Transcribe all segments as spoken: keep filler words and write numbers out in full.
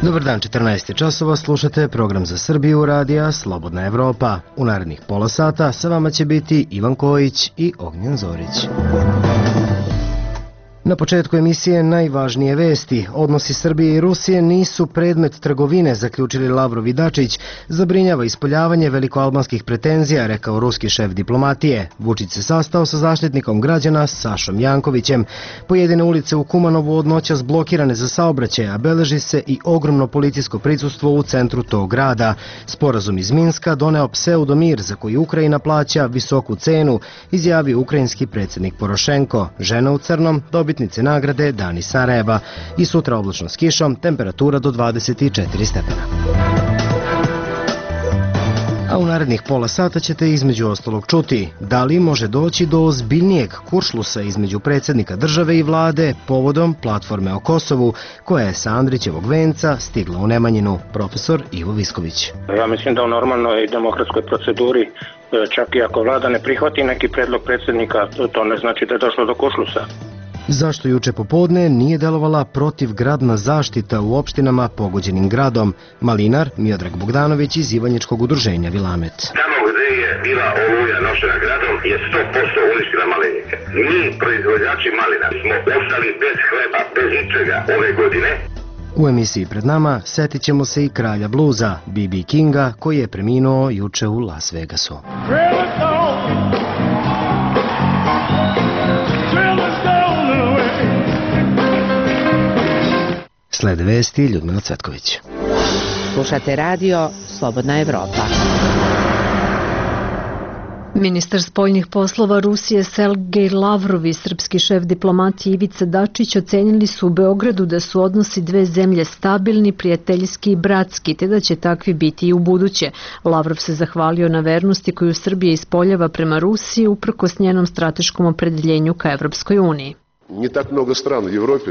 Dobar dan, četrnaest časova, slušate program za Srbiju radija Slobodna Evropa. U narednih pola sata sa vama će biti Ivan Kojić i Ognjen Zorić. Na početku emisije najvažnije vesti. Odnosi Srbije i Rusije nisu predmet trgovine, zaključili Lavrov i Dačić. Zabrinjava ispoljavanje velikoalbanskih pretenzija, rekao ruski šef diplomatije. Vučić se sastao sa zaštitnikom građana Sašom Jankovićem. Pojedine ulice u Kumanovu od noćas blokirane za saobraćaj, a beleži se i ogromno policijsko prisustvo u centru tog grada. Sporazum iz Minska doneo pseudomir za koji Ukrajina plaća visoku cenu, izjavio ukrajinski predsjednik Porošenko. Žena u crnom dobiti nagrade Dani Sarajeva i sutra oblačno s kišom, temperatura do dvadeset četiri stepena. A u narednih pola sata ćete između ostalog čuti da li može doći do ozbiljnijeg kuršlusa između predsjednika države i vlade povodom platforme o Kosovu koja je sa Andrićevog venca stigla u Nemanjinu, profesor Ivo Visković. Ja mislim da u normalnoj demokratskoj proceduri čak i ako vlada ne prihvati neki predlog predsjednika, to ne znači da je došlo do kuršlusa. Zašto juče popodne nije delovala protivgradna zaštita u opštinama pogođenim gradom? Malinar Miodrag Bogdanović iz Ivanjičkog udruženja Vilamet. Tamo gdje je bila oluja nošena gradom je sto posto uništila malinike. Mi, proizvođači malina, smo ostali bez hleba, bez ničega ove godine. U emisiji pred nama setit ćemo se i kralja bluza, B B Kinga, koji je preminuo juče u Las Vegasu. Slede vesti Ljudmila Cvetković. Slušate radio Slobodna Evropa. Ministar spoljnih poslova Rusije Sergej Lavrov i srpski šef diplomatije Ivica Dačić ocenili su u Beogradu da su odnosi dve zemlje stabilni, prijateljski i bratski, te da će takvi biti i u buduće. Lavrov se zahvalio na vernosti koju Srbija ispoljava prema Rusiji uprkos njenom strateškom opredeljenju ka Evropskoj uniji. Не так много стран в Европе.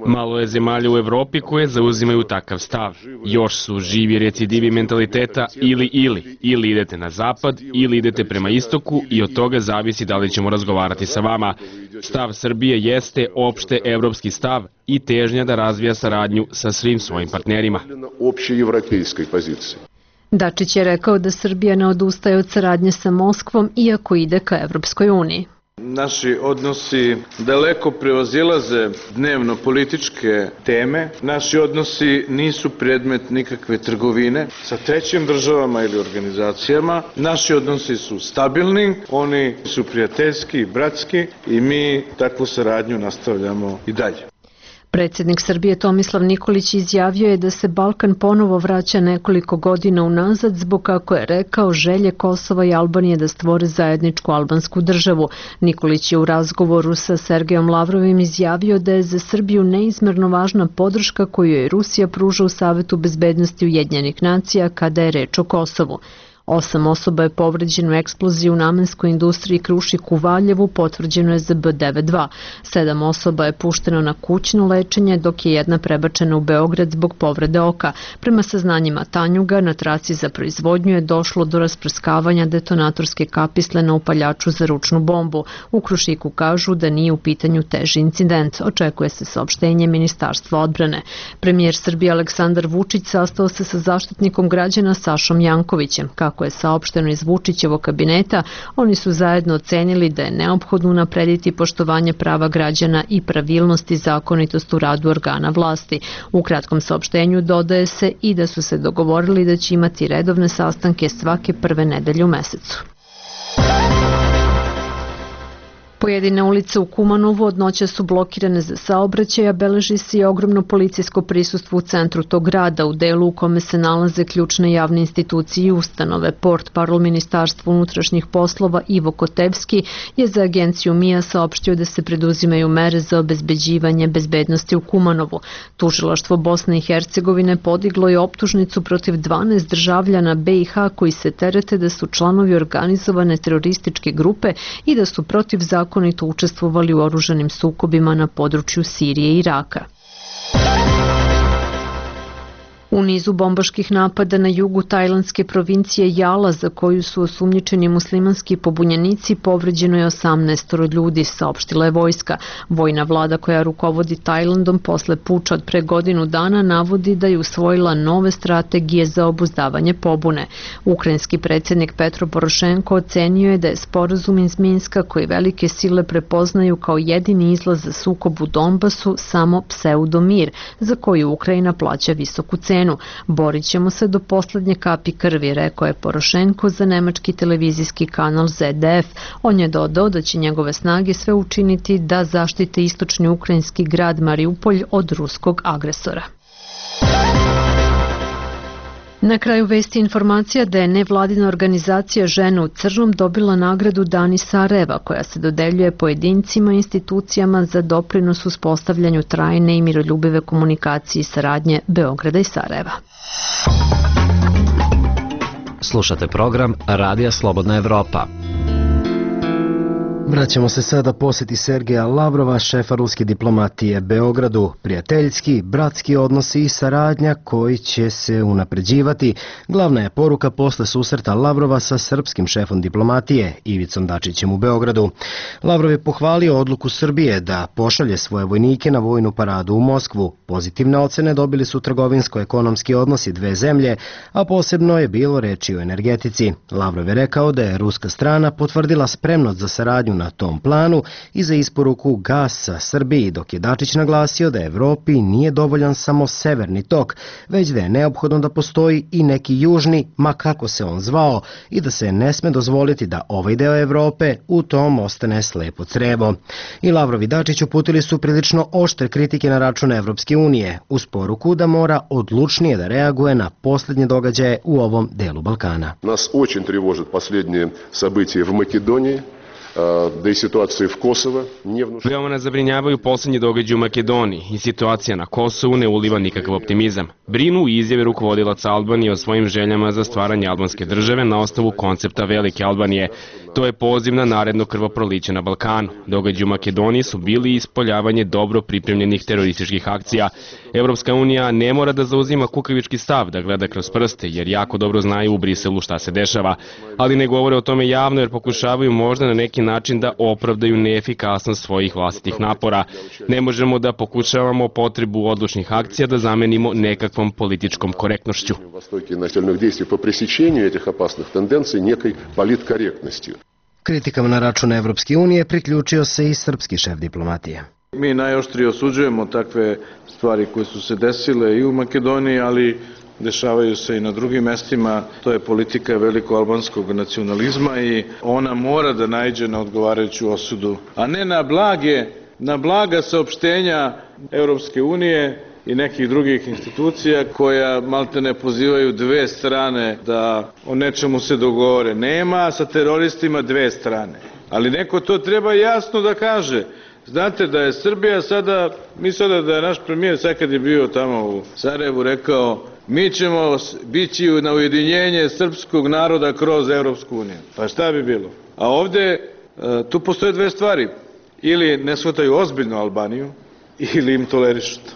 Malo je zemalja u Evropi koje zauzimaju takav stav. Još su živi recidivi mentaliteta ili ili. Ili idete na zapad, ili idete prema istoku i od toga zavisi da li ćemo razgovarati sa vama. Stav Srbije jeste opšte evropski stav i težnja da razvija saradnju sa svim svojim partnerima. Dačić je rekao da Srbija ne odustaje od saradnje sa Moskvom iako ide ka Evropskoj uniji. Naši odnosi daleko prevazilaze dnevno političke teme. Naši odnosi nisu predmet nikakve trgovine sa trećim državama ili organizacijama. Naši odnosi su stabilni, oni su prijateljski i bratski i mi takvu saradnju nastavljamo i dalje. Predsjednik Srbije Tomislav Nikolić izjavio je da se Balkan ponovo vraća nekoliko godina unazad zbog, kako je rekao, želje Kosova i Albanije da stvore zajedničku albansku državu. Nikolić je u razgovoru sa Sergejom Lavrovim izjavio da je za Srbiju neizmerno važna podrška koju je Rusija pruža u Savetu bezbednosti Ujedinjenih nacija kada je reč o Kosovu. Osam osoba je povređeno u eksploziji u namenskoj industriji Krušik u Valjevu, potvrđeno je za B devedeset dva. Sedam osoba je pušteno na kućno lečenje, dok je jedna prebačena u Beograd zbog povrede oka. Prema saznanjima Tanjuga, na traci za proizvodnju je došlo do rasprskavanja detonatorske kapisle na upaljaču za ručnu bombu. U Krušiku kažu da nije u pitanju teži incident. Očekuje se saopštenje Ministarstva odbrane. Premijer Srbije Aleksandar Vučić sastao se sa zaštitnikom građana Sašom Jankovićem. Kako je saopšteno iz Vučićevog kabineta, oni su zajedno ocenili da je neophodno unaprediti poštovanje prava građana i pravilnost i zakonitost u radu organa vlasti. U kratkom saopštenju dodaje se i da su se dogovorili da će imati redovne sastanke svake prve nedelje u mesecu. Pojedine ulice u Kumanovu od noća su blokirane za saobraćaj, a beleži se i ogromno policijsko prisustvo u centru tog grada, u delu u kome se nalaze ključne javne institucije i ustanove. Portparol Ministarstva unutrašnjih poslova Ivo Kotevski je za agenciju M I A saopštio da se preduzimaju mere za obezbeđivanje bezbednosti u Kumanovu. Tužilaštvo Bosne i Hercegovine podiglo je optužnicu protiv dvanaest državljana B i H koji se terete da su članovi organizovane terorističke grupe i da su protiv zakona zakonito učestvovali u oružanim sukobima na području Sirije i Iraka. U nizu bombaških napada na jugu tajlandske provincije Jala, za koju su osumnjičeni muslimanski pobunjenici, povređeno je osamnaest ljudi, saopštila je vojska. Vojna vlada koja rukovodi Tajlandom posle puča od pre godinu dana navodi da je usvojila nove strategije za obuzdavanje pobune. Ukrajinski predsjednik Petro Porošenko ocenio je da je sporazum iz Minska, koji velike sile prepoznaju kao jedini izlaz za sukob u Donbasu, samo pseudomir, za koji Ukrajina plaća visoku cenu. Borit ćemo se do poslednje kapi krvi, rekao je Porošenko za nemački televizijski kanal Z D F. On je dodao da će njegove snage sve učiniti da zaštite istočni ukrajinski grad Mariupolj od ruskog agresora. Na kraju vesti informacija da je nevladina organizacija Žene u crnom dobila nagradu Dani Sarajeva, koja se dodeljuje pojedincima i institucijama za doprinos uspostavljanju trajne i miroljubive komunikacije i saradnje Beograda i Sarajeva. Slušate program Radija Slobodna Evropa. Vraćamo se sada posjeti Sergeja Lavrova, šefa ruske diplomatije Beogradu. Prijateljski, bratski odnosi i saradnja koji će se unapređivati. Glavna je poruka posle susreta Lavrova sa srpskim šefom diplomatije Ivicom Dačićem u Beogradu. Lavrov je pohvalio odluku Srbije da pošalje svoje vojnike na vojnu paradu u Moskvu. Pozitivne ocene dobili su trgovinsko-ekonomski odnosi dve zemlje, a posebno je bilo reči o energetici. Lavrov je rekao da je ruska strana potvrdila spremnost za saradnju na tom planu i za isporuku gasa Srbiji, dok je Dačić naglasio da Evropi nije dovoljan samo severni tok, već da je neophodno da postoji i neki južni, ma kako se on zvao, i da se ne sme dozvoliti da ovaj deo Evrope u tom ostane slepo crevo. I Lavrov i Dačić uputili su prilično oštre kritike na račun Evropske unije, uz poruku da mora odlučnije da reaguje na posljednje događaje u ovom delu Balkana. Nas очень тревожат последние события в Македонии. Da i situacija u Kosovo nije vnušena. Veoma nas zabrinjavaju posljednji događaji u Makedoniji i situacija na Kosovu ne uliva nikakav optimizam. Brinu i izjave rukovodilaca Albanije o svojim željama za stvaranje albanske države na osnovu koncepta Velike Albanije. To je poziv na naredno krvoproliće na Balkanu. Događaji u Makedoniji su bili ispoljavanje dobro pripremljenih terorističkih akcija. Evropska unija ne mora da zauzima kukavički stav, da gleda kroz prste, jer jako dobro znaju u Briselu šta se dešava. Ali ne govore o tome javno jer pokušavaju možda na neki način da opravdaju neefikasnost svojih vlastitih napora. Ne možemo da pokušavamo potrebu odlučnih akcija da zamenimo nekakvom političkom korektnošću. Kritikama na račun Evropske unije priključio se i srpski šef diplomatije. Mi najoštrije osuđujemo takve stvari koje su se desile i u Makedoniji, ali dešavaju se i na drugim mestima. To je politika veliko-albanskog nacionalizma i ona mora da naiđe na odgovarajuću osudu, a ne na blage, na blaga saopštenja Evropske unije i nekih drugih institucija koja malte ne pozivaju dve strane da o nečemu se dogovore. Nema sa teroristima dve strane, ali neko to treba jasno da kaže. Znate da je Srbija sada, mi sada da je naš premijer sad kad je bio tamo u Sarajevu rekao mi ćemo bići na ujedinjenje srpskog naroda kroz Evropsku uniju. Pa šta bi bilo? A ovde tu postoje dve stvari. Ili ne shvataju ozbiljno Albaniju ili im tolerišu to.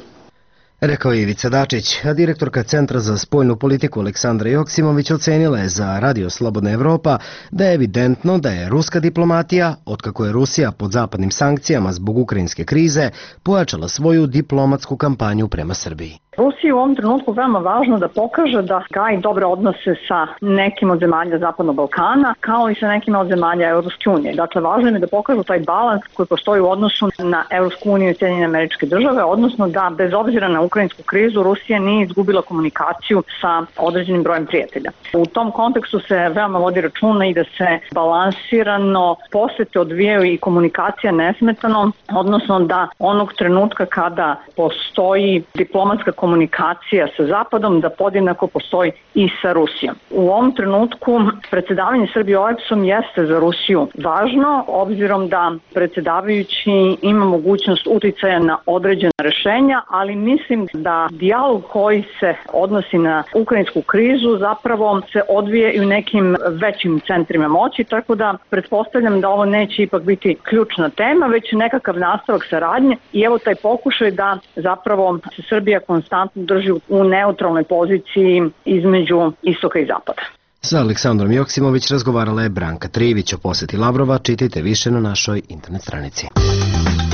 Rekao je Ivica Dačić, a direktorka Centra za spoljnu politiku Aleksandra Joksimović ocenila je za Radio Slobodna Evropa da je evidentno da je ruska diplomatija, otkako je Rusija pod zapadnim sankcijama zbog ukrajinske krize, pojačala svoju diplomatsku kampanju prema Srbiji. Rusiji u ovom trenutku veoma važno da pokaže da gaji dobre odnose sa nekim od zemalja Zapadnog Balkana, kao i sa nekim od zemalja Evropske unije. Dakle, važno je da pokažu taj balans koji postoji u odnosu na Evropsku uniju i Sjedinjene Američke Države, odnosno da bez obzira na ukrajinsku krizu Rusija nije izgubila komunikaciju sa određenim brojem prijatelja. U tom kontekstu se veoma vodi računa i da se balansirano posete odvijaju i komunikacija nesmetano, odnosno da onog trenutka kada postoji diplomatska komunikacija komunikacija sa Zapadom, da podjednako postoji i sa Rusijom. U ovom trenutku predsjedavanje Srbije O E B S-om jeste za Rusiju važno, obzirom da predsjedavajući ima mogućnost uticaja na određena rešenja, ali mislim da dijalog koji se odnosi na ukrajinsku krizu zapravo se odvije i u nekim većim centrima moći, tako da pretpostavljam da ovo neće ipak biti ključna tema, već nekakav nastavak saradnje i evo taj pokušaj da zapravo se Srbija konstantno konstantno drži u neutralnoj poziciji između istoka i zapada. Sa Aleksandrom Joksimović razgovarala je Branka Trivić. O poseti Lavrova čitajte više na našoj internet stranici.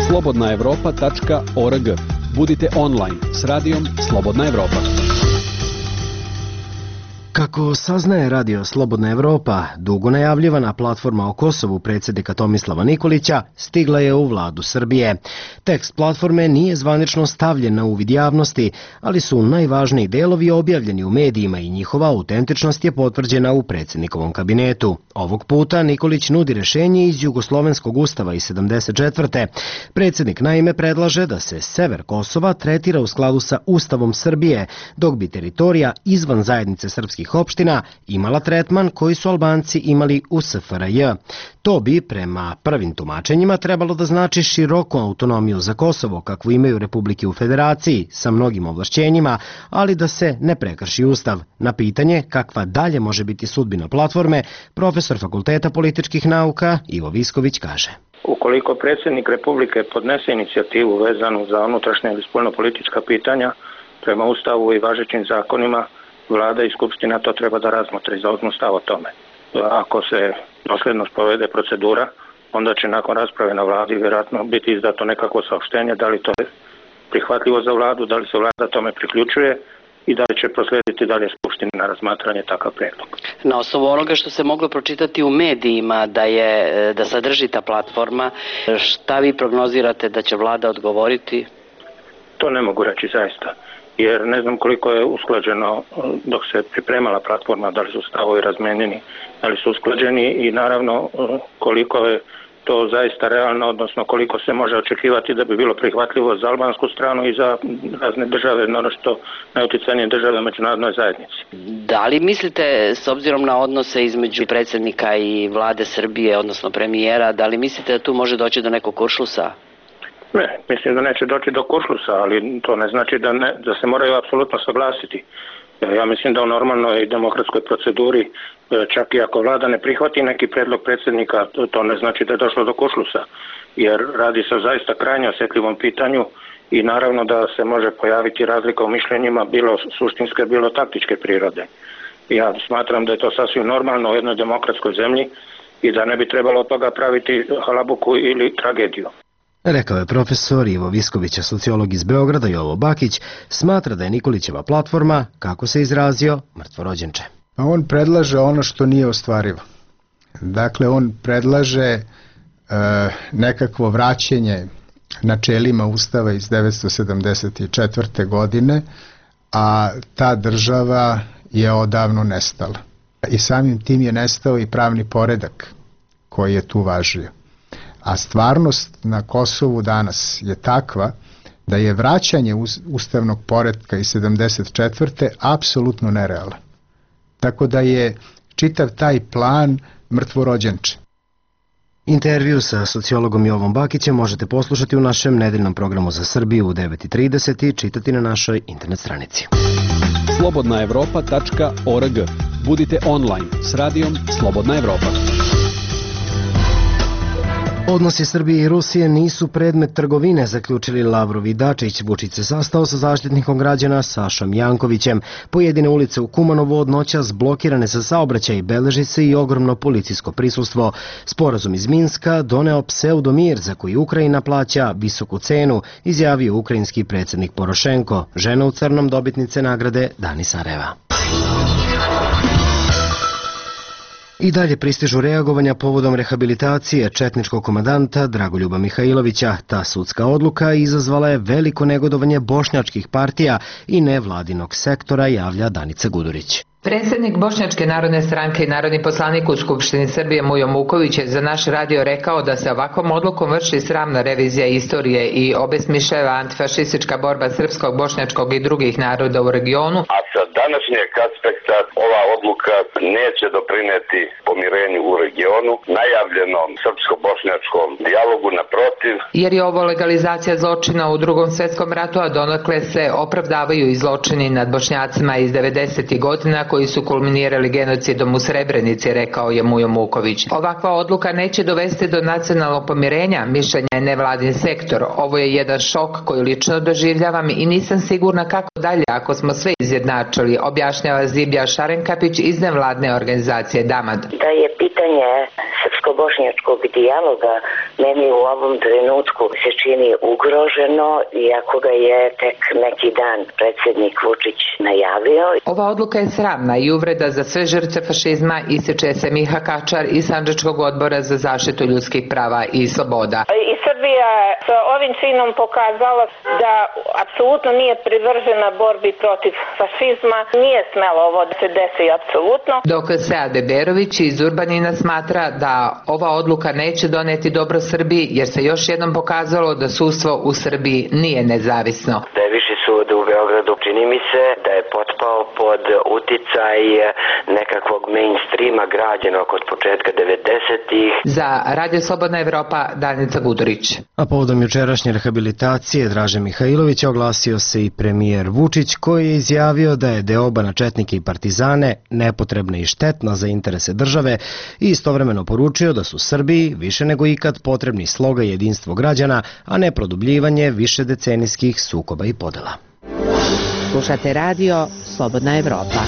slobodna evropa tačka org. Budite online s radijom Slobodna Evropa. Kako saznaje radio Slobodna Evropa, dugo najavljivana platforma o Kosovu predsjednika Tomislava Nikolića stigla je u vladu Srbije. Tekst platforme nije zvanično stavljen na uvid javnosti, ali su najvažniji delovi objavljeni u medijima i njihova autentičnost je potvrđena u predsjednikovom kabinetu. Ovog puta Nikolić nudi rješenje iz Jugoslovenskog ustava iz sedamdeset četvrte. Predsjednik naime predlaže da se sever Kosova tretira u skladu sa Ustavom Srbije, dok bi teritorija izvan zajednice srpskih opština imala tretman koji su Albanci imali u S F R J. To bi, prema prvim tumačenjima, trebalo da znači široku autonomiju za Kosovo, kakvu imaju republike u federaciji, sa mnogim ovlašćenjima, ali da se ne prekrši Ustav. Na pitanje kakva dalje može biti sudbina platforme, profesor Fakulteta političkih nauka Ivo Visković kaže. Ukoliko predsjednik Republike podnese inicijativu vezanu za unutrašnja ili spoljnopolitička pitanja, prema Ustavu i važećim zakonima, Vlada i Skupština to treba da razmotre i zauzmu stav o tome. Ako se dosljedno sprovede procedura, onda će nakon rasprave na vladi vjerojatno biti izdato nekako saopštenje, da li to je prihvatljivo za vladu, da li se vlada tome priključuje i da li će proslijediti dalje Skupštini na razmatranje takav predlog. Na osnovu onoga što se moglo pročitati u medijima da je da sadrži ta platforma, šta vi prognozirate da će vlada odgovoriti? To ne mogu reći zaista, jer ne znam koliko je usklađeno dok se pripremala platforma, da li su stavovi razmenjeni, da li su usklađeni i naravno koliko je to zaista realno, odnosno koliko se može očekivati da bi bilo prihvatljivo za albansku stranu i za razne države, naročito najuticajnije države u međunarodnoj zajednici. Da li mislite, s obzirom na odnose između predsjednika i vlade Srbije, odnosno premijera, da li mislite da tu može doći do nekog kuršlusa? Ne, mislim da neće doći do kuršlusa, ali to ne znači da, ne, da se moraju apsolutno saglasiti. Ja mislim da u normalnoj demokratskoj proceduri, čak i ako vlada ne prihvati neki predlog predsjednika, to ne znači da je došlo do kuršlusa, jer radi se o zaista krajnje osjetljivom pitanju i naravno da se može pojaviti razlika u mišljenjima, bilo suštinske, bilo taktičke prirode. Ja smatram da je to sasvim normalno u jednoj demokratskoj zemlji i da ne bi trebalo od toga praviti halabuku ili tragediju. Rekao je profesor Ivo Visković, sociolog iz Beograda. Jovo Bakić smatra da je Nikolićeva platforma, kako se izrazio, mrtvorođenče. On predlaže ono što nije ostvarivo. Dakle, on predlaže e, nekakvo vraćanje načelima Ustava iz devetsto sedamdeset četvrte. godine, a ta država je odavno nestala. I samim tim je nestao i pravni poredak koji je tu važio. A stvarnost na Kosovu danas je takva da je vraćanje ustavnog poretka iz sedamdeset četvrte apsolutno nerealan. Tako da je čitav taj plan mrtvorođenče. Intervju sa sociologom Jovom Bakićem možete poslušati u našem nedeljnom programu za Srbiju u devet i trideset i čitati na našoj internet stranici. slobodna evropa tačka org. Budite online s radijom Slobodna Evropa. Odnosi Srbije i Rusije nisu predmet trgovine, zaključili Lavrov i Dačić. Vučić se sastao sa zaštitnikom građana Sašom Jankovićem. Pojedine ulice u Kumanovu od noćas blokirane za saobraćaj, beleži se i ogromno policijsko prisustvo. Sporazum iz Minska doneo pseudomir za koji Ukrajina plaća visoku cenu, izjavio ukrajinski predsjednik Porošenko. Žena u crnom dobitnice nagrade Dani Sarajeva. I dalje pristižu reagovanja povodom rehabilitacije četničkog komandanta Dragoljuba Mihajlovića. Ta sudska odluka izazvala je veliko negodovanje bošnjačkih partija i nevladinog sektora, javlja Danica Gudurić. Predsjednik Bošnjačke narodne stranke i narodni poslanik u Skupštini Srbije Mujo Muković je za naš radio rekao da se ovakvom odlukom vrši sramna revizija istorije i obesmišljava antifašistička borba srpskog, bošnjačkog i drugih naroda u regionu. A sa današnjeg aspekta da ova odluka neće doprineti pomirenju u regionu, najavljenom srpsko-bošnjačkom dijalogu, naprotiv. Jer je ovo legalizacija zločina u Drugom svetskom ratu, a donekle se opravdavaju i zločini nad Bošnjacima iz devedesetih godina koji su kulminirali genocidom u Srebrenici, rekao je Mujo Muković. Ovakva odluka neće dovesti do nacionalnog pomirenja, mišljenja je nevladin sektor. Ovo je jedan šok koji lično doživljavam i nisam sigurna kako dalje ako smo sve izjednačili, objašnjava Zibija Šarenkapić iz nevladne organizacije Damad. Da je pitanje srpsko-bošnjačkog dijaloga meni u ovom trenutku se čini ugroženo, iako ga je tek neki dan predsjednik Vučić najavio. Ova odluka je sramna i uvreda za sve žrtve fašizma, ističe se Miha Kačar iz Sandžačkog odbora za zaštitu ljudskih prava i sloboda. I Srbija je sa ovim činom pokazala da apsolutno nije privržena borbi protiv fašizma, nije smelo ovo da se desi apsolutno. Dok Sead Beberović iz Urbanina smatra da ova odluka neće doneti dobro Srbiji, jer se još jednom pokazalo da sudstvo u Srbiji nije nezavisno. Da je Viši sud u Beogradu, čini mi se da je potpao pod uticaj nekakvog mainstreama građenog od početka devedesetih. Za Radio Slobodna Evropa, Danica Budorić. A povodom jučerašnje rehabilitacije Draže Mihajlovića oglasio se i premijer Vučić, koji je izjavio da je deoba na četnike i partizane nepotrebna i štetna za interese države i istovremeno poručio da su Srbiji više nego ikad potrebni sloga i jedinstvo građana, a ne produbljivanje višedecenijskih sukoba i podela. Slušate radio Slobodna Evropa.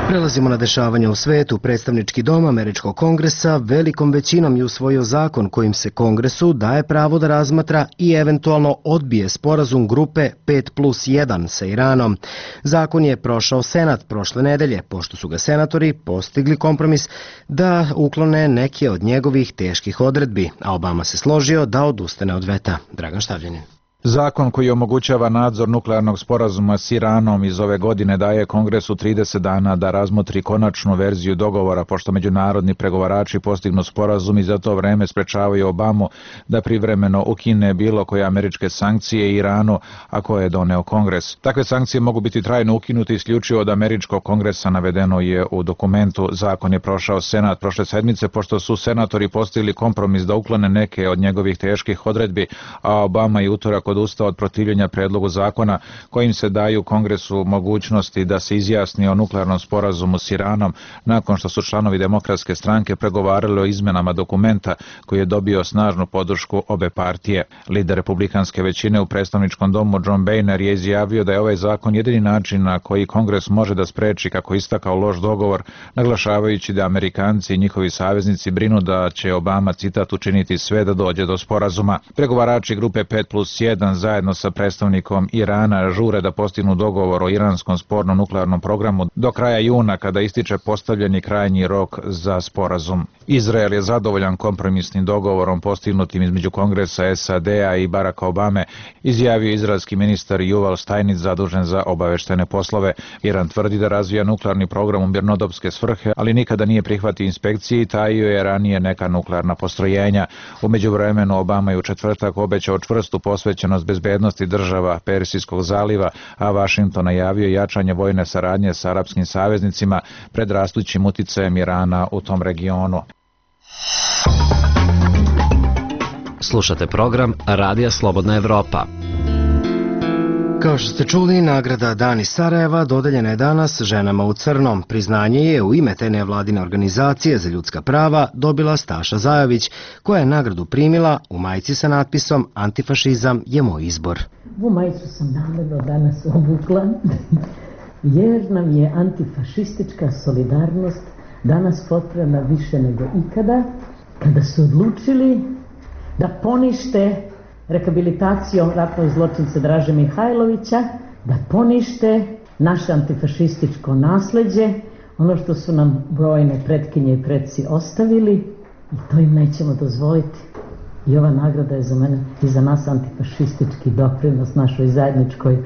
Prelazimo na dešavanja u svetu. Predstavnički dom Američkog kongresa velikom većinom je usvojio zakon kojim se kongresu daje pravo da razmatra i eventualno odbije sporazum grupe pet plus jedan sa Iranom. Zakon je prošao Senat prošle nedelje, pošto su ga senatori postigli kompromis da uklone neke od njegovih teških odredbi, a Obama se složio da odustane od veta. Dragan Štavljanin. Zakon koji omogućava nadzor nuklearnog sporazuma s Iranom iz ove godine daje Kongresu trideset dana da razmotri konačnu verziju dogovora, pošto međunarodni pregovarači postignu sporazum i za to vreme sprečavaju Obamu da privremeno ukine bilo koje američke sankcije Iranu, a koje je doneo Kongres. Takve sankcije mogu biti trajno ukinuti isključivo od američkog kongresa, navedeno je u dokumentu. Zakon je prošao Senat prošle sedmice, pošto su senatori postigli kompromis da uklone neke od njegovih teških odredbi, a Obama je utorak odustao od protivljenja predlogu zakona kojim se daju Kongresu mogućnosti da se izjasni o nuklearnom sporazumu s Iranom nakon što su članovi Demokratske stranke pregovarali o izmenama dokumenta koji je dobio snažnu podršku obe partije. Lider republikanske većine u predstavničkom domu John Boehner je izjavio da je ovaj zakon jedini način na koji Kongres može da spreči, kako istakao, loš dogovor, naglašavajući da Amerikanci i njihovi saveznici brinu da će Obama, citat, učiniti sve da dođe do sporazuma. Pregovarači grupe pet plus jedan zajedno sa predstavnikom Irana žure da postignu dogovor o iranskom spornom nuklearnom programu do kraja juna, kada ističe postavljeni krajnji rok za sporazum. Izrael je zadovoljan kompromisnim dogovorom postignutim između Kongresa S A D-a i Baracka Obame, izjavio izraelski ministar Yuval Steinitz zadužen za obaveštene poslove. Iran tvrdi da razvija nuklearni program u mirnodopske svrhe, ali nikada nije prihvatio inspekcije i tajio je ranije neka nuklearna postrojenja. U međuvremenu Obama je u četvrtak obećao čvrstu posvećenost bezbednosti država Persijskog zaliva, a Vašington najavio jačanje vojne saradnje sa arapskim saveznicima pred rastućim uticajem Irana u tom regionu. Slušate program Radija Slobodna Evropa. Kao što ste čuli, nagrada Dan iz Sarajeva dodeljena je danas ženama u crnom. Priznanje je u ime te nevladine organizacije za ljudska prava dobila Staša Zajović, koja je nagradu primila u majici sa natpisom "Antifašizam je moj izbor". Ovu majicu sam namerno danas obukla, jer nam je antifašistička solidarnost danas potrebna više nego ikada, kada su odlučili da ponište rehabilitacijom ratnog zločinca Draže Mihajlovića, da ponište naše antifašističko nasleđe, ono što su nam brojne pretkinje i preci ostavili, i to im nećemo dozvoliti. I ova nagrada je za mene i za nas antifašistički doprinos našoj zajedničkoj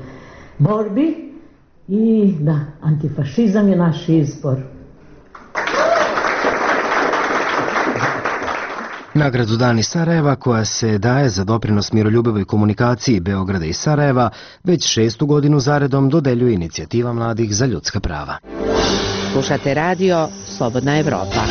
borbi, i da, antifašizam je naš izbor. Nagradu Dani Sarajeva, koja se daje za doprinos miroljubivoj komunikaciji Beograda i Sarajeva, već šestu godinu zaredom dodeljuje inicijativa mladih za ljudska prava. Slušate radio Slobodna Evropa.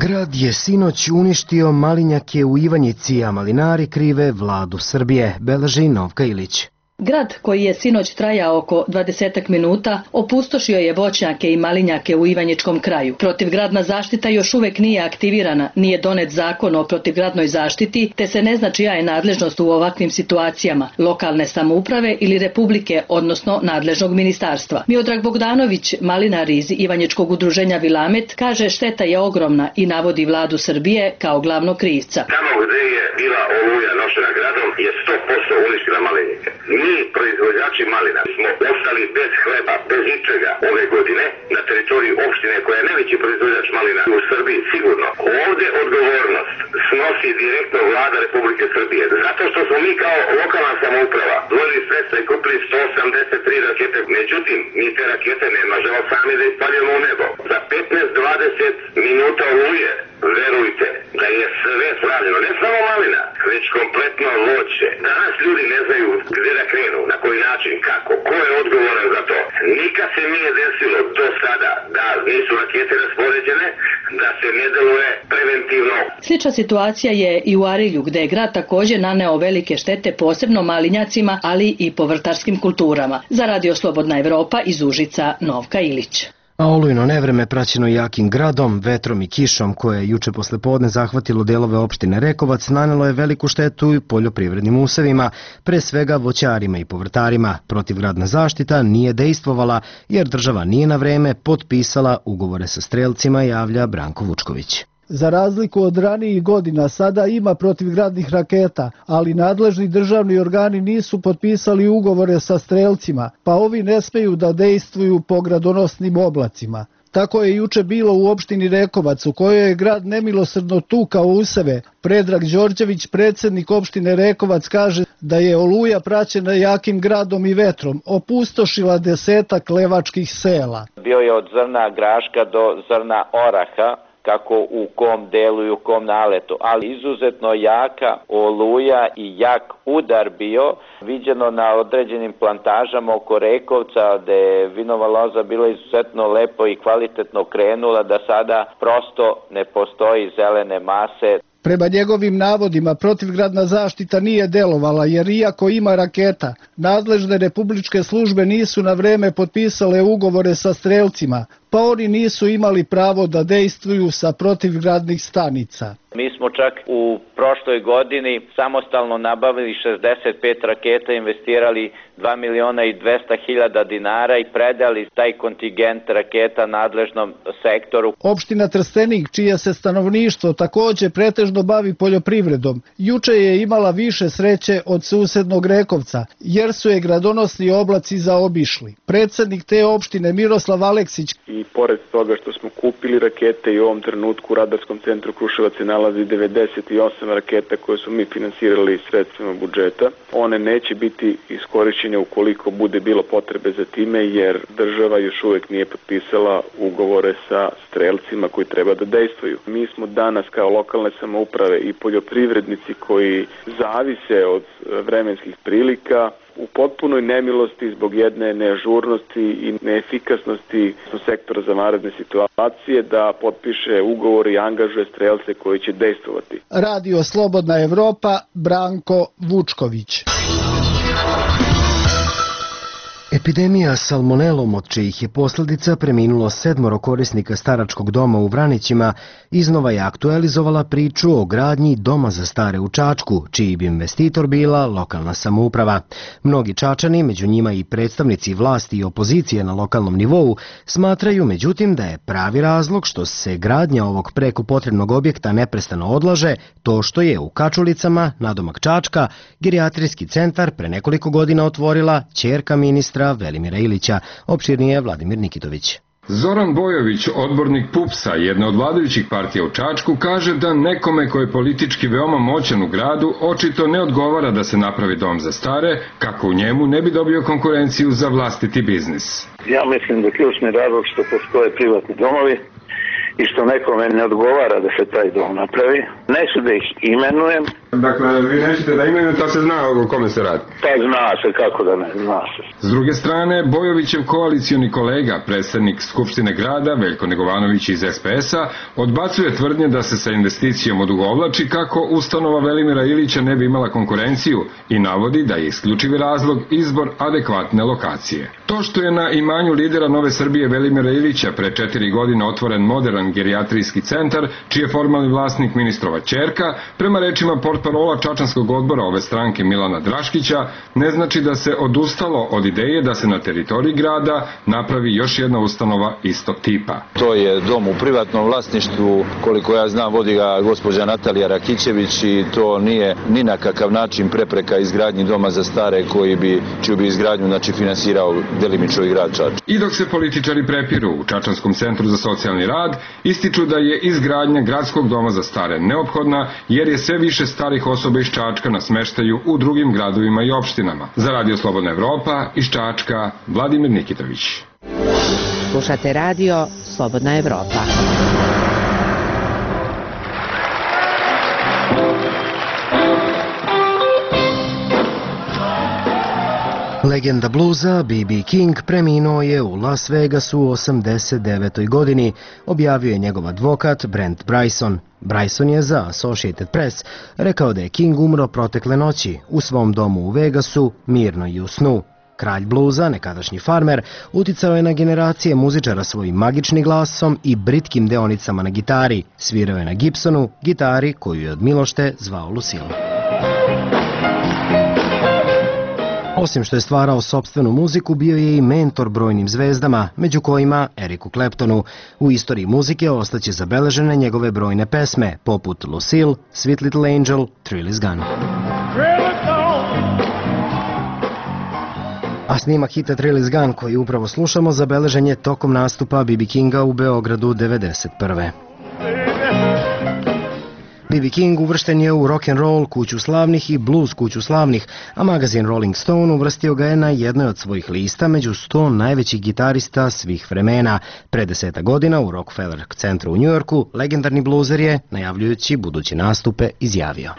Grad je sinoć uništio malinjake u Ivanjici, a malinari krive vladu Srbije, beleži Novka Ilić. Grad, koji je sinoć trajao oko dvadesetak minuta, opustošio je voćnjake i malinjake u Ivanjičkom kraju. Protivgradna zaštita još uvek nije aktivirana, nije donet zakon o protivgradnoj zaštiti, te se ne zna čija je nadležnost u ovakvim situacijama, lokalne samouprave ili republike, odnosno nadležnog ministarstva. Miodrag Bogdanović, malinar iz Ivanjičkog udruženja Vilamet, kaže šteta je ogromna i navodi vladu Srbije kao glavnog krivca. Tamo gde je bila oluja nošena gradom je sto posto uništila malinike. Mi, proizvođači malina, smo ostali bez hleba, bez ničega ove godine na teritoriji opštine koja je najveći proizvođač malina u Srbiji, sigurno. Ovde odgovornost snosi direktno vlada Republike Srbije, zato što smo mi kao lokalna samouprava dvojili sredstva i kupili sto osamdeset tri rakete. Međutim, mi te rakete ne možemo sami da ispaljujemo u nebo. Za petnaest do dvadeset minuta oluje, verujte da je sve slavljeno, ne samo malina, već kompletno voće. Danas ljudi ne znaju gde da krenu, na koji način, kako, ko je odgovoran za to. Nikad se nije desilo do sada da nisu rakete raspoređene, da se ne deluje preventivno. Slična situacija je i u Arilju, gde je grad također naneo velike štete, posebno malinjacima, ali i povrtarskim kulturama. Za Radio Slobodna Evropa iz Užica, Novka Ilić. A olujno nevreme praćeno jakim gradom, vetrom i kišom koje je juče posle podne zahvatilo delove opštine Rekovac nanelo je veliku štetu i poljoprivrednim usevima, pre svega voćarima i povrtarima. Protivgradna zaštita nije dejstvovala jer država nije na vreme potpisala ugovore sa strelcima, javlja Branko Vučković. Za razliku od ranijih godina, sada ima protivgradnih raketa, ali nadležni državni organi nisu potpisali ugovore sa strelcima, pa ovi ne smeju da dejstvuju po gradonosnim oblacima. Tako je juče bilo u opštini Rekovac, u kojoj je grad nemilosrdno tukao useve. Predrag Đorđević, predsjednik opštine Rekovac, kaže da je oluja praćena jakim gradom i vetrom opustošila desetak levačkih sela. Bio je od zrna graška do zrna oraha, kako u kom delu i u kom naletu, ali izuzetno jaka oluja i jak udar bio, viđeno na određenim plantažama oko Rekovca, gde je vinova loza bila izuzetno lepo i kvalitetno krenula, da sada prosto ne postoji zelene mase. Prema njegovim navodima, protivgradna zaštita nije delovala, jer iako ima raketa, nadležne republičke službe nisu na vreme potpisale ugovore sa strelcima, pa oni nisu imali pravo da dejstvuju sa protivgradnih stanica. Mi smo čak u prošloj godini samostalno nabavili šezdeset pet raketa, investirali dva miliona i dvesta hiljada dinara i predali taj kontingent raketa nadležnom sektoru. Opština Trstenik, čije se stanovništvo također pretežno bavi poljoprivredom, juče je imala više sreće od susednog Rekovca, jer su je gradonosni oblaci zaobišli. Predsjednik te opštine Miroslav Aleksić. I pored toga što smo kupili rakete i u ovom trenutku u Radarskom centru Kruševac se nalazi devedeset osam raketa koje su mi finansirali sredstvima budžeta. One neće biti iskorišćene ukoliko bude bilo potrebe za time, jer država još uvijek nije potpisala ugovore sa strelcima koji treba da dejstvuju. Mi smo danas kao lokalne samouprave i poljoprivrednici koji zavise od vremenskih prilika u potpunoj nemilosti zbog jedne neažurnosti i neefikasnosti sektora za vanredne situacije da potpiše ugovor i angažuje strelce koji će dejstvovati. Radio Slobodna Evropa, Branko Vučković. Epidemija salmonelom, od čijih je posljedica preminulo sedmoro korisnika staračkog doma u Vranićima, iznova je aktualizovala priču o gradnji doma za stare u Čačku, čiji bi investitor bila lokalna samouprava. Mnogi Čačani, među njima i predstavnici vlasti i opozicije na lokalnom nivou, smatraju međutim da je pravi razlog što se gradnja ovog preko potrebnog objekta neprestano odlaže to što je u Kačulicama, nadomak Čačka, gerijatrijski centar pre nekoliko godina otvorila ćerka ministra Velimira Ilića, opširnije Vladimir Nikitović. Zoran Bojović, odbornik PUPS-a, jedna od vladajućih partija u Čačku, kaže da nekome koji je politički veoma moćan u gradu očito ne odgovara da se napravi dom za stare, kako u njemu ne bi dobio konkurenciju za vlastiti biznis. Ja mislim da ključni razlog što postoje privatni domovi i što nekome ne odgovara da se taj dom napravi. Neću da ih imenujem. Dakle, vi nećete da imenujete, a se zna o kome se radi? Pa zna se, kako da ne, zna se. S druge strane, Bojovićev koalicioni kolega, predsednik Skupštine grada, Veljko Negovanović iz S P S-a, odbacuje tvrdnje da se sa investicijom odugovlači kako ustanova Velimira Ilića ne bi imala konkurenciju i navodi da je isključivi razlog izbor adekvatne lokacije. To što je na imanju lidera Nove Srbije Velimira Ilića pre četiri godine otvoren moderan gerijatrijski centar, čiji je formalni vlasnik ministrova ćerka, prema rečima portparola Čačanskog odbora ove stranke Milana Draškića, ne znači da se odustalo od ideje da se na teritoriji grada napravi još jedna ustanova istog tipa. To je dom u privatnom vlasništvu, koliko ja znam vodi ga gospođa Natalija Rakićević i to nije ni na kakav način prepreka izgradnji doma za stare koji bi, čiju bi izgradnju znači, finansirao delimično i grad Čačak. I dok se političari prepiru u Čačanskom centru za socijalni rad, ističu da je izgradnja gradskog doma za stare neophodna jer je sve više starih osoba iz Čačka na smeštaju u drugim gradovima i opštinama. Za Radio Slobodna Evropa iz Čačka, Vladimir Nikitović. Slušate radio Slobodna Evropa. Legenda bluza B B King preminuo je u Las Vegasu u osamdeset devetoj godini, objavio je njegov advokat Brent Bryson. Bryson je za Associated Press rekao da je King umro protekle noći u svom domu u Vegasu, mirno i u snu. Kralj bluza, nekadašnji farmer, uticao je na generacije muzičara svojim magičnim glasom i britkim deonicama na gitari. Svirao je na Gibsonu, gitari koju je od milošte zvao Lucille. Osim što je stvarao sopstvenu muziku, bio je i mentor brojnim zvezdama, među kojima Ericu Claptonu. U istoriji muzike ostaće zabeležene njegove brojne pesme, poput Lucille, Sweet Little Angel, Thrill Is Gone. A snimak hita Thrill Is Gone, koji upravo slušamo, zabeležen je tokom nastupa B B Kinga u Beogradu devedeset prve. B B King uvršten je u rock and roll kuću slavnih i blues kuću slavnih, a magazin Rolling Stone uvrstio ga je na jednoj od svojih lista među sto najvećih gitarista svih vremena. Pre deseta godina u Rockefeller centru u Njujorku legendarni bluzer je, najavljujući buduće nastupe, izjavio: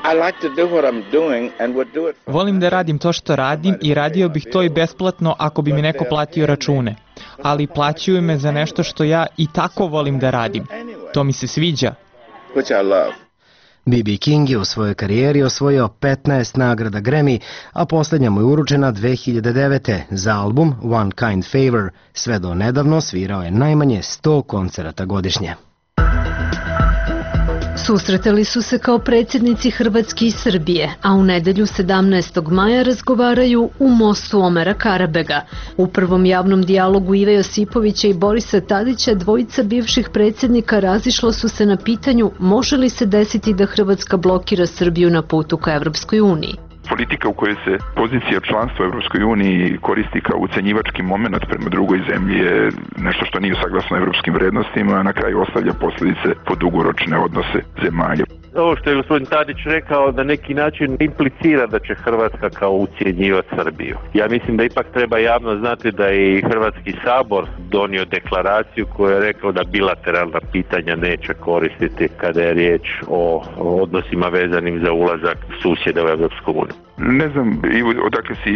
Volim da radim to što radim i radio bih to i besplatno ako bi mi neko platio račune. Ali plaćaju me za nešto što ja i tako volim da radim. To mi se sviđa. B B King je u svojoj karijeri osvojio petnaest nagrada Grammy, a posljednja mu je uručena dve hiljade devete. za album One Kind Favor. Sve do nedavno svirao je najmanje sto koncerata godišnje. Susretali su se kao predsjednici Hrvatske i Srbije, a u nedelju sedamnaestog maja razgovaraju u mostu Omera Karabega. U prvom javnom dijalogu Ive Josipovića i Borisa Tadića dvojica bivših predsjednika razišla su se na pitanju može li se desiti da Hrvatska blokira Srbiju na putu ka Evropskoj uniji. Politika u kojoj se pozicija članstva u Evropskoj uniji koristi kao ucenjivački moment prema drugoj zemlji je nešto što nije saglasno evropskim vrednostima, a na kraju ostavlja posljedice po dugoročne odnose zemalja. Ovo što je gospodin Tadić rekao na neki način implicira da će Hrvatska kao ucjenjivati Srbiju. Ja mislim da ipak treba javno znati da je i Hrvatski sabor donio deklaraciju koja je rekao da bilateralna pitanja neće koristiti kada je riječ o odnosima vezanim za ulazak susjeda u Evropsku uniju. Ne znam odakle si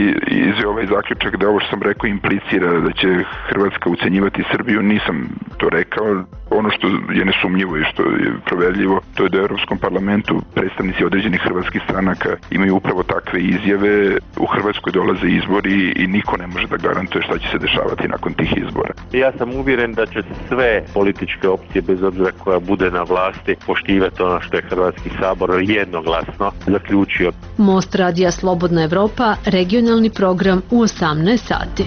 izveo ovaj zaključak da ovo što sam rekao implicira da će Hrvatska ucenjivati Srbiju, nisam to rekao. Ono što je nesumnjivo i što je proverljivo, to je da u Europskom parlamentu predstavnici određenih hrvatskih stranaka imaju upravo takve izjave. U Hrvatskoj dolaze izbori i niko ne može da garantuje šta će se dešavati nakon tih izbora. Ja sam uvjeren da će sve političke opcije, bez obzira koja bude na vlasti, poštivati ono što je Hrvatski sabor jednoglasno zaključio. Most radija Slobodna Evropa, regionalni program u osamnaest sati.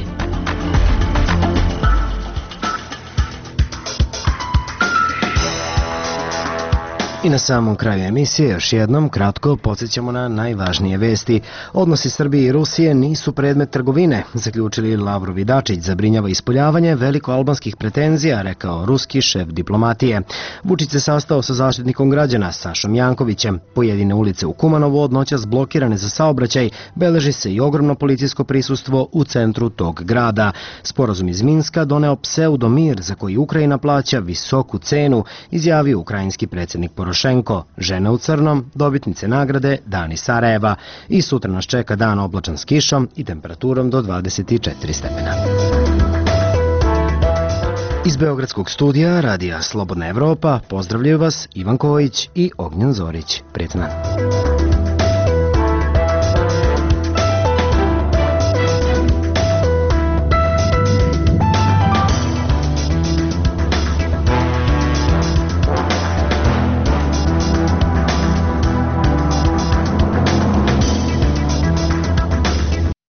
I na samom kraju emisije još jednom kratko podsjećamo na najvažnije vesti. Odnosi Srbije i Rusije nisu predmet trgovine, zaključili Lavrov i Dačić, zabrinjava ispoljavanje velikoalbanskih pretenzija, rekao ruski šef diplomatije. Vučić se sastao sa zaštitnikom građana Sašom Jankovićem. Pojedine ulice u Kumanovu od noćas blokirane za saobraćaj, beleži se i ogromno policijsko prisustvo u centru tog grada. Sporazum iz Minska doneo pseudomir za koji Ukrajina plaća visoku cenu, izjavio ukrajinski predsjednik Porošenko. Žena u crnom, dobitnice nagrade Dani Sarajeva. I sutra nas čeka dan oblačan s kišom i temperaturom do dvadeset četiri stepena. Iz Beogradskog studija Radija Slobodna Evropa pozdravljaju vas Ivan Kojić i Ognjen Zorić. Prijetna.